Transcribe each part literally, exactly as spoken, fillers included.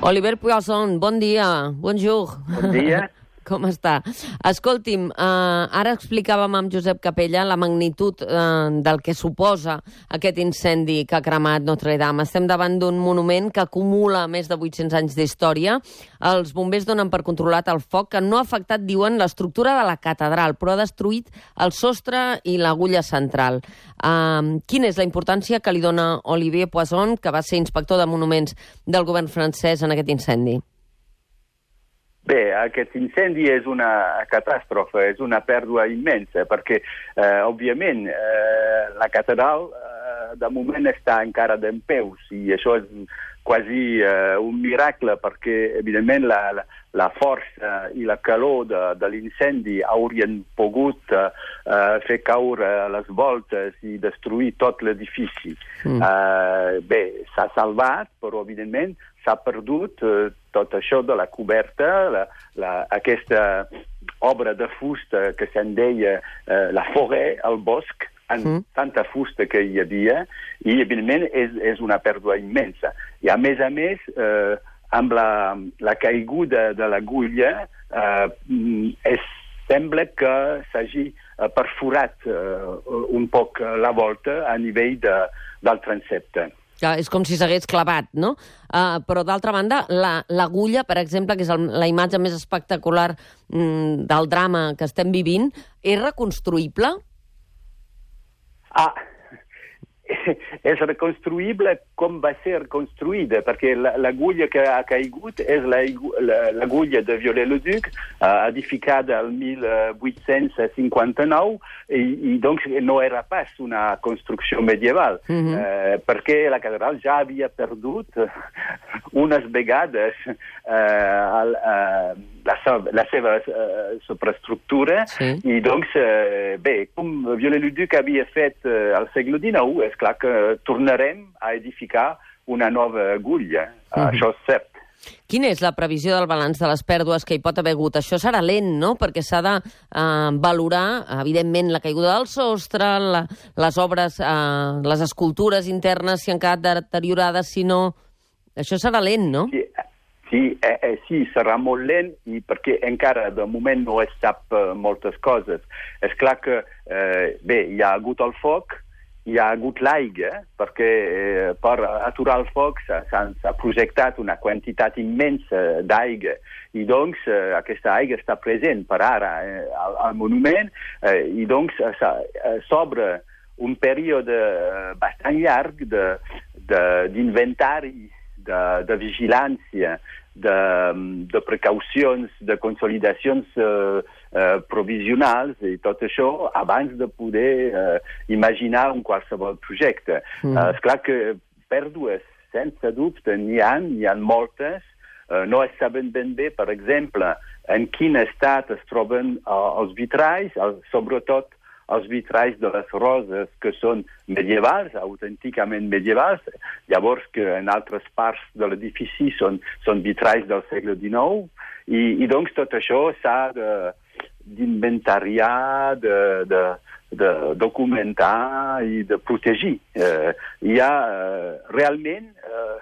Oliver Poisson, bon dia. Bonjour. Bon dia. Com està? Escolti'm, eh, ara explicàvem amb Josep Capella la magnitud eh, del que suposa aquest incendi que ha cremat Notre-Dame. Estem davant d'un monument que acumula més de vuit-cents anys d'història. Els bombers donen per controlat el foc, que no ha afectat, diuen, l'estructura de la catedral, però ha destruït el sostre i l'agulla central. Eh, quina és la importància que li dona Olivier Poisson, que va ser inspector de monuments del govern francès, en aquest incendi? Bé, aquest incendi és una catàstrofe, és una pèrdua immensa, perquè, eh, òbviament, eh, la catedral eh, de moment està encara dempeus, i això és quasi eh, un miracle, perquè, evidentment, la, la, la força i la calor de, de l'incendi haurien pogut eh, fer caure les voltes i destruir tot l'edifici. Mm. Eh, bé, s'ha salvat, però, evidentment, s'ha perdut eh, tot això de la coberta, la, la, aquesta obra de fusta que se'n deia eh, la forêt, el bosc, amb mm. tanta fusta que hi havia, i, evidentment, és, és una pèrdua immensa. I, a més a més, eh, amb la, la caiguda de l'agulla, eh, es sembla que s'hagi perforat eh, un poc la volta a nivell de, del transsepte. Ja, és com si s'hagués clavat, no? Uh, però, d'altra banda, l'agulla, la, per exemple, que és el, la imatge més espectacular mm, del drama que estem vivint, és reconstruïble? Ah, és reconstruïble com va ser construïda, perquè l'agulla que ha caigut és l'agulla de Viollet-le-Duc, edificada el mil vuit-cents cinquanta-nou, i, i doncs no era pas una construcció medieval, mm-hmm. eh, perquè la catedral ja havia perdut unes vegades eh, el, eh, la, la seva eh, superestructura, sí. I doncs, eh, bé, com Viollet-le-Duc havia fet eh, al segle dinou, és clar que tornarem a edificar una nova agulla. Mm-hmm. Això és cert. Quina és la previsió del balanç de les pèrdues que hi pot haver hagut? Això serà lent, no? Perquè s'ha de eh, valorar, evidentment, la caiguda del sostre, la, les obres, eh, les escultures internes, si han quedat deteriorades, si no... Això serà lent, no? Sí, sí, eh, eh, sí, serà molt lent, i perquè encara de moment no es sap eh, moltes coses. És clar que, eh, bé, hi ha hagut el foc, hi ha hagut l'aigua, perquè eh, per aturar el foc s'ha projectat una quantitat immensa d'aigua, i doncs eh, aquesta aigua està present per ara eh, al, al monument, eh, i doncs eh, s'obre un període bastant llarg d'inventari, de, de, de, de vigilància, de, de precaucions, de consolidacions eh, eh, provisionals i tot això abans de poder eh, imaginar un qualsevol projecte. Mm. Eh, esclar que pèrdues, sense dubte, n'hi ha, n'hi ha moltes. Eh, no es saben ben bé, per exemple, en quin estat es troben eh, els vitralls, el, sobretot els vitralls de les roses que són medievals, autènticament medievals, llavors que en altres parts de l'edifici són, són vitralls del segle dinou, i, i doncs tot això s'ha d'inventariar, de, de, de documentar i de protegir. Eh, hi ha eh, realment... Eh,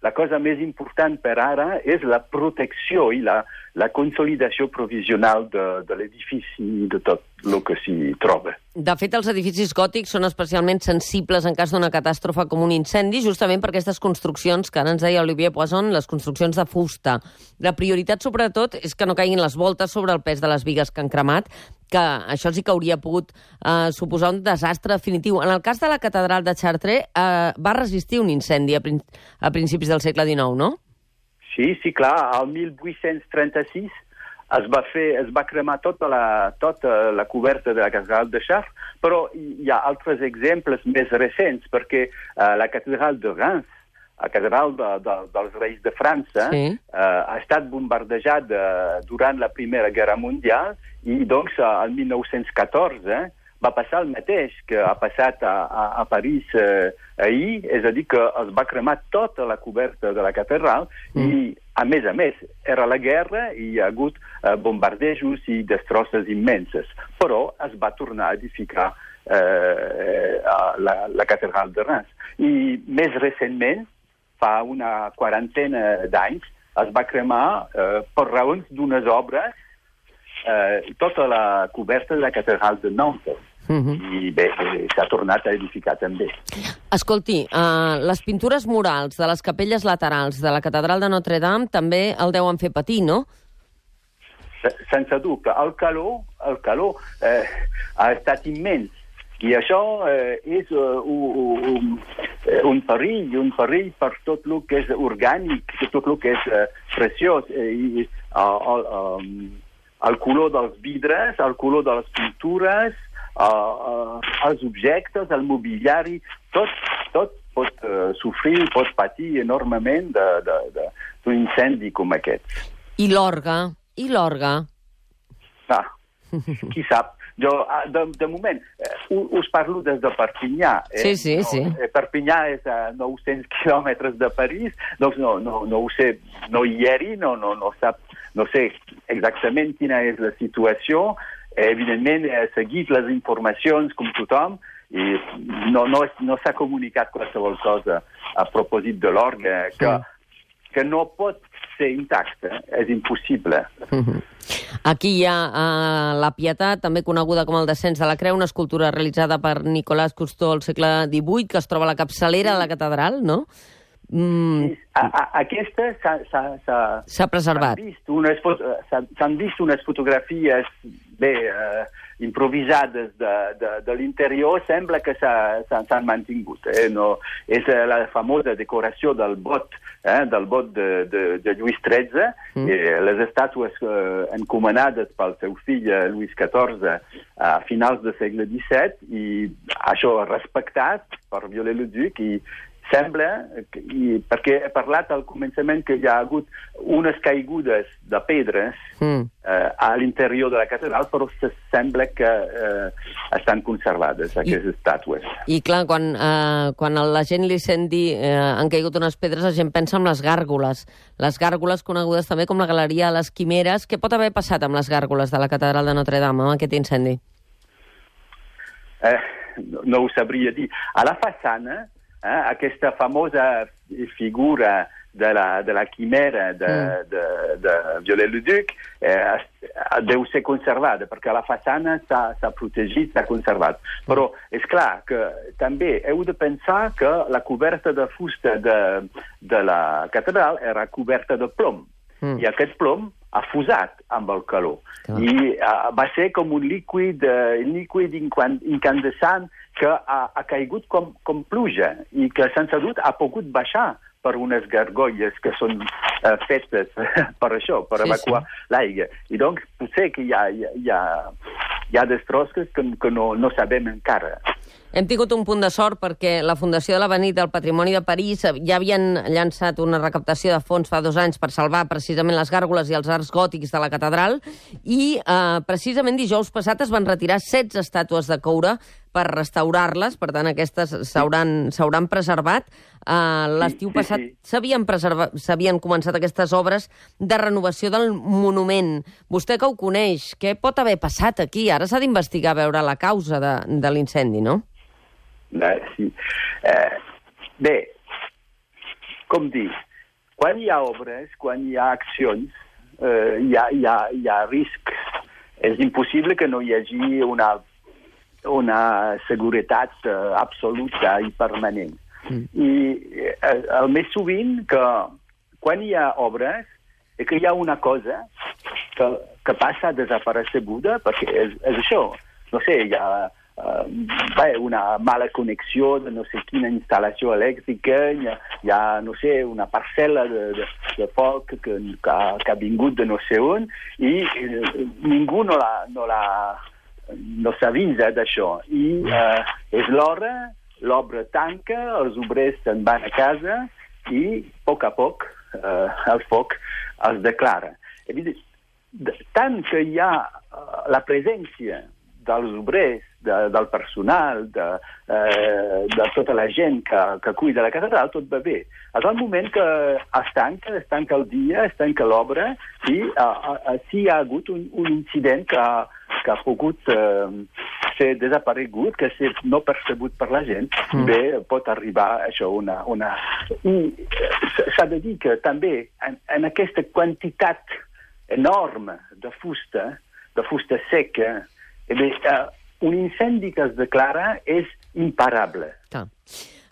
la cosa més important per ara és la protecció i la, la consolidació provisional de, de l'edifici i de tot el que s'hi troba. De fet, els edificis gòtics són especialment sensibles en cas d'una catàstrofe com un incendi, justament per aquestes construccions que ara ens deia Olivier Poisson, les construccions de fusta. La prioritat, sobretot, és que no caiguin les voltes sobre el pes de les bigues que han cremat, que això sí que hauria pogut eh, suposar un desastre definitiu. En el cas de la catedral de Chartres, eh, va resistir un incendi a, prin a principis del segle dinou, no? Sí, sí, clar. Al mil vuit-cents trenta-sis es va, fer, es va cremar tota la, tota la coberta de la catedral de Chartres, però hi ha altres exemples més recents, perquè eh, la catedral de Reims, la catedral de, de, dels reis de França, sí. eh, ha estat bombardejada durant la Primera Guerra Mundial, i doncs al mil nou-cents catorze va passar el mateix que ha passat a, a, a París eh, ahir, és a dir, que es va cremar tota la coberta de la catedral, mm. i a més a més era la guerra i hi ha hagut eh, bombardejos i destrosses immenses, però es va tornar a edificar eh, la, la catedral de Reims. I més recentment, fa una quarantena d'anys, es va cremar eh, per raons d'unes obres eh, tota la coberta de la catedral de Nantes. Uh-huh. I bé, s'ha tornat a edificar també. Escolti, uh, les pintures murals de les capelles laterals de la catedral de Notre Dame també el deuen fer patir, no? Sense dubte. El calor, el calor eh, ha estat immens. I això eh, és uh, un, un, un perill, un perill per tot el que és orgànic, tot el que és uh, preciós. Eh, i, uh, el, um, el color dels vidres, el color de les pintures, uh, uh, els objectes, el mobiliari, tot, tot pot uh, sofrir, pot patir enormement d'un incendi com aquest. I l'orgue? I l'orgue? Ah, qui sap. Jo, de, de moment, eh, us parlo des de Perpinyà. Eh? Sí, sí, no, sí. Eh, Perpinyà és a nou-cents quilòmetres de París, doncs no, no, no ho sé, no hi eri, no, no, no, sap, no sé exactament quina és la situació. Eh, evidentment, he seguit les informacions com tothom i no, no, no s'ha comunicat qualsevol cosa a propòsit de l'orgue, que, sí. que no pot ser intacte, és impossible. Uh-huh. Aquí hi ha uh, la Pietat, també coneguda com el descens de la Creu, una escultura realitzada per Nicolas Cousteau al segle divuit, que es troba a la capçalera de la catedral, no? Mm. A, a, aquesta s'ha preservat. S'han vist unes fotografies bé eh, improvisades de, de, de l'interior, sembla que s'han mantingut. Eh? No, és la famosa decoració del bot, eh, del bot de, de, de Lluís tretze, mm. eh, les estàtues eh, encomanades pel seu fill eh, Lluís catorze a finals del segle disset, i això respectat per Viollet-le-Duc, i sembla, i perquè he parlat al començament que hi ha hagut unes caigudes de pedres mm. eh, a l'interior de la catedral, però se sembla que eh, estan conservades aquestes I, estàtues. I clar, quan, eh, quan la gent li sent dir eh, han caigut unes pedres, la gent pensa en les gàrgoles. Les gàrgoles conegudes també com la Galeria de les Quimeres. Què pot haver passat amb les gàrgoles de la catedral de Notre Dame, amb aquest incendi? Eh, no, no ho sabria dir. A la façana, Eh, aquesta famosa figura de la, de la quimera de, mm. de, de Viollet-le-Duc eh, deu ser conservada, perquè la façana s'ha protegit, s'ha conservat. Mm. Però és clar que també heu de pensar que la coberta de fusta de, de la catedral era coberta de plom, mm. i aquest plom ha fusat amb el calor. Oh. I uh, va ser com un líquid, uh, líquid incandescent que ha, ha caigut com, com pluja i que sense dubte ha pogut baixar per unes gargolles que són uh, fetes per això, per sí, evacuar sí. l'aigua. I doncs potser que hi ha, hi ha, hi ha destrosses que, que no, no sabem encara. Hem tingut un punt de sort perquè la Fundació de l'Avenir del Patrimoni de París ja havien llançat una recaptació de fons fa dos anys per salvar precisament les gàrgoles i els arcs gòtics de la catedral i eh, precisament dijous passat es van retirar setze estàtues de coure per restaurar-les, per tant aquestes s'hauran preservat. Uh, L'estiu sí, passat s'havien sí. s'havien començat aquestes obres de renovació del monument. Vostè que ho coneix, què pot haver passat aquí? Ara s'ha d'investigar a veure la causa de, de l'incendi, no? Eh, sí. Eh, bé, com dir, quan hi ha obres, quan hi ha accions, eh, hi, ha, hi, ha, hi ha riscs. És impossible que no hi hagi una una seguretat uh, absoluta i permanent. Mm. I eh, el més sovint que quan hi ha obres és que hi ha una cosa que, que passa desapareceguda, perquè és, és això. No sé, hi ha uh, bé, una mala connexió de no sé quina instal·lació elèctrica, hi ha, hi ha no sé, una parcel·la de, de, de foc que, que, ha, que ha vingut de no sé on i eh, ningú no la... No la no s'avisa d'això. I eh, és l'hora, l'obra tanca, els obrers se'n van a casa i, a poc a poc, eh, el foc els declara. Evident, tant que hi ha eh, la presència dels obrers, de, del personal, de, eh, de tota la gent que, que cuida la catedral, tot va bé. És el moment que es tanca, es tanca el dia, es tanca l'obra, i eh, eh, sí hi ha hagut un, un incident que ha que ha pogut eh, ser desaparegut, que ser no percebut per la gent, mm. bé, pot arribar això una... una... S'ha de dir que també en, en aquesta quantitat enorme de fusta, de fusta seca, eh bé, uh, un incendi que es declara és imparable. Ah.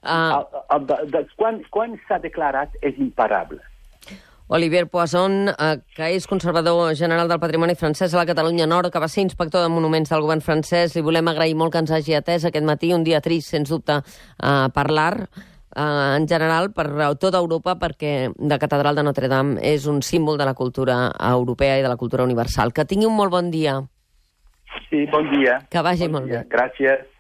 Uh... El, el, de, de, quan quan s'ha declarat és imparable. Olivier Poisson, eh, que és conservador general del patrimoni francès a la Catalunya Nord, que va ser inspector de monuments del govern francès. Li volem agrair molt que ens hagi atès aquest matí, un dia trist, sens dubte, a parlar eh, en general per tota Europa, perquè la Catedral de Notre-Dame és un símbol de la cultura europea i de la cultura universal. Que tingui un molt bon dia. Sí, bon dia. Que vagi bon molt dia. bé. Gràcies.